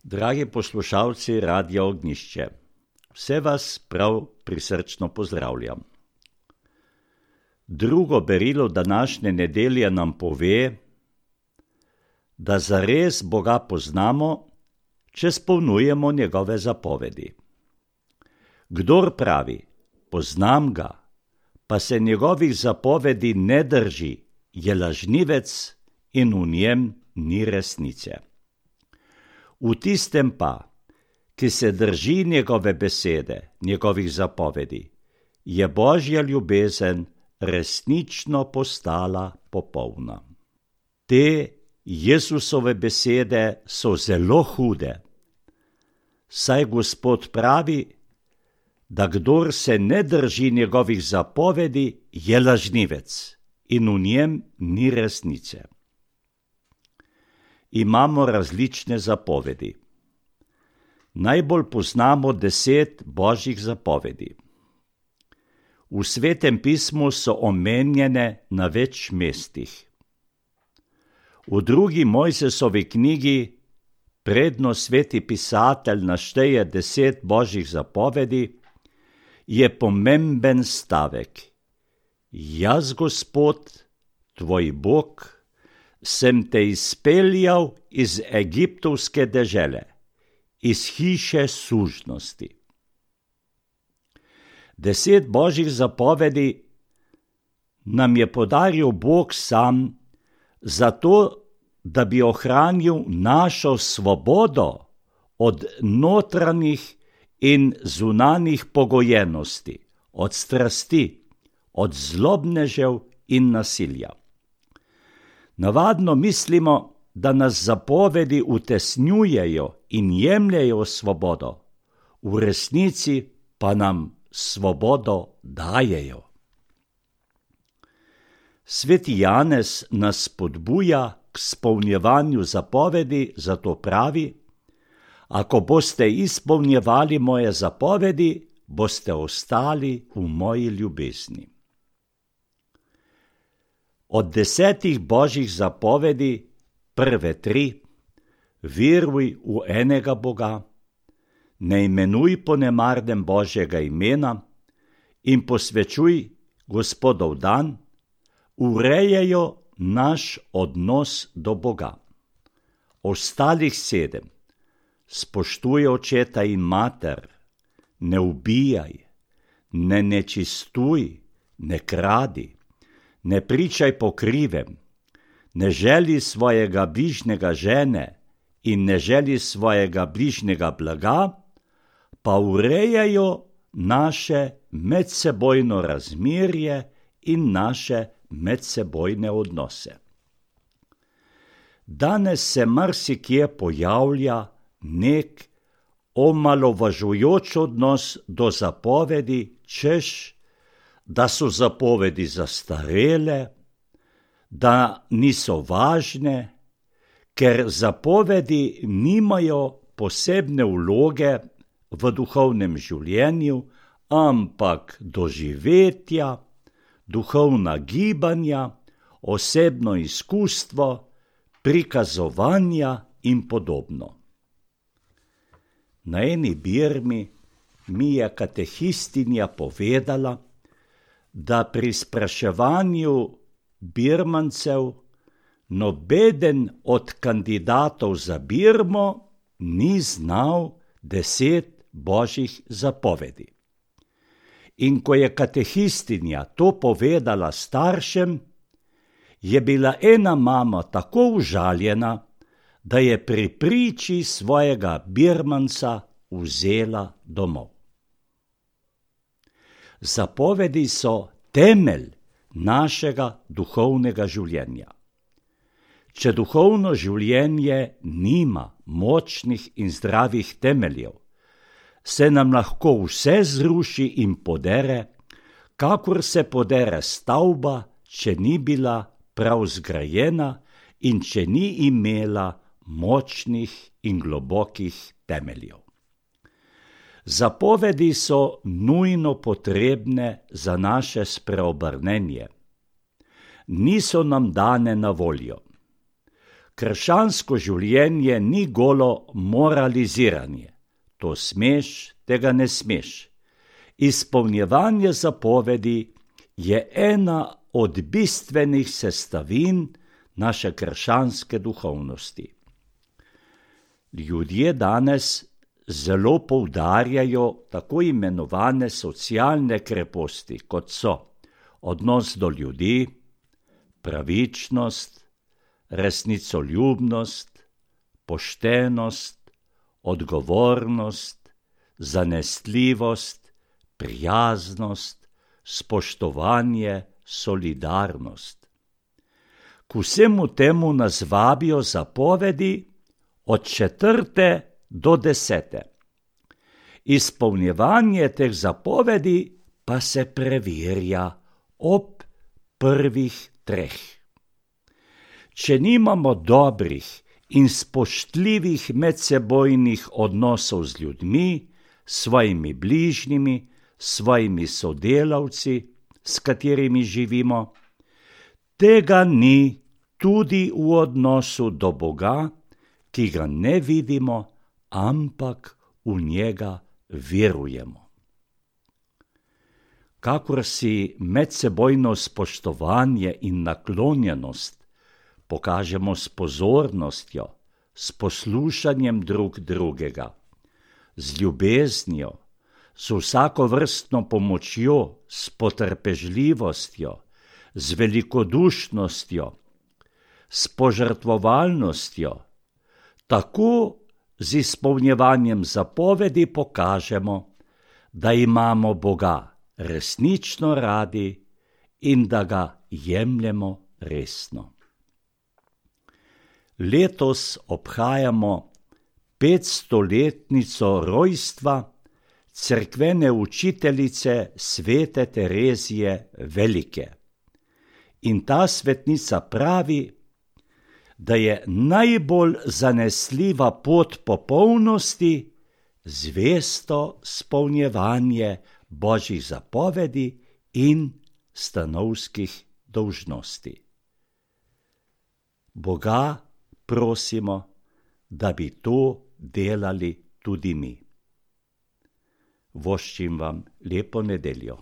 Dragi poslušalci Radia Ognjišče, vse vas prav prisrčno pozdravljam. Drugo berilo današnje nedelje nam pove, da zares Boga poznamo, če spolnujemo njegove zapovedi. Kdor pravi, poznam ga, pa se njegovih zapovedi ne drži, je lažnivec in v njem ni resnice. V tistem pa, ki se drži njegove besede, njegovih zapovedi, je Božja ljubezen resnično postala popolna. Te Jesusove besede so zelo hude, saj Gospod pravi, da kdor se ne drži njegovih zapovedi, je lažnivec in v njem ni resnice. Imamo različne zapovedi. Najbolj poznamo 10 Božjih zapovedi. V Svetem pismu so omenjene na več mestih. V drugi Mojsesovi knjigi, predno sveti pisatelj našteje 10 Božjih zapovedi, je pomemben stavek. Jaz, Gospod, tvoj Bog, sem te izpeljal iz egiptovske dežele, iz hiše sužnosti. 10 Božjih zapovedi nam je podaril Bog sam, zato, da bi ohranil našo svobodo od notranjih in zunanjih pogojenosti, od strasti, od zlobnežev in nasilja. Navadno mislimo, da nas zapovedi utesnjujejo in jemljejo svobodo, v resnici pa nam svobodo dajejo. Sveti Janez nas spodbuja k izpolnjevanju zapovedi, zato pravi: ako boste izpolnjevali moje zapovedi, boste ostali v moji ljubezni. Od 10 Božjih zapovedi, prve 3, veruj v enega Boga, ne imenuj po nemarnem Božjega imena in posvečuj Gospodov dan, urejajo naš odnos do Boga. Ostalih 7, spoštuj očeta in mater, ne ubijaj, ne nečistuj, ne kradi, ne pričaj po krivem, ne želi svojega bližnjega žene in ne želi svojega bližnjega blaga, pa urejajo naše medsebojno razmerje in naše medsebojne odnose. Danes se marsikje pojavlja nek omalovažujoč odnos do zapovedi, češ, da so zapovedi zastarele, da niso važne, ker zapovedi nimajo posebne vloge v duhovnem življenju, ampak doživetja, duhovna gibanja, osebno izkustvo, prikazovanja in podobno. Na eni birmi mi je katehistinja povedala, da pri spraševanju birmancev nobeden od kandidatov za birmo ni znal 10 Božjih zapovedi. In ko je katehistinja to povedala staršem, je bila ena mama tako užaljena, da je pri priči svojega birmanca vzela domov. Zapovedi so temelj našega duhovnega življenja. Če duhovno življenje nima močnih in zdravih temeljev, se nam lahko vse zruši in podere, kakor se podere stavba, če ni bila prav zgrajena in če ni imela močnih in globokih temeljev. Zapovedi so nujno potrebne za naše spreobrnenje. Niso nam dane na voljo. Krščansko življenje ni golo moraliziranje. To smeš, tega ne smeš. Izpolnjevanje zapovedi je ena od bistvenih sestavin naše krščanske duhovnosti. Ljudje danes zelo poudarjajo tako imenovane socialne kreposti, kot so odnos do ljudi, pravičnost, resnicoljubnost, poštenost, odgovornost, zanesljivost, prijaznost, spoštovanje, solidarnost. K vsemu temu nas vabijo zapovedi od 4. do 10. Izpolnjevanje teh zapovedi pa se preverja ob prvih 3. Če nimamo dobrih in spoštljivih medsebojnih odnosov z ljudmi, svojimi bližnjimi, svojimi sodelavci, s katerimi živimo, tega ni tudi v odnosu do Boga, ki ga ne vidimo, ampak v njega verujemo. Kakor si medsebojno spoštovanje in naklonjenost pokažemo s pozornostjo, s poslušanjem drug drugega, z ljubeznijo, z vsakovrstno pomočjo, s potrpežljivostjo, z velikodušnostjo, s požrtvovalnostjo, tako z izpolnjevanjem zapovedi pokažemo, da imamo Boga resnično radi in da ga jemljemo resno. Letos obhajamo 500-letnico rojstva cerkvene učiteljice svete Terezije Velike. In ta svetnica pravi, da je najbolj zanesljiva pot popolnosti zvesto izpolnjevanje Božjih zapovedi in stanovskih dolžnosti. Boga prosimo, da bi to delali tudi mi. Voščim vam lepo nedeljo.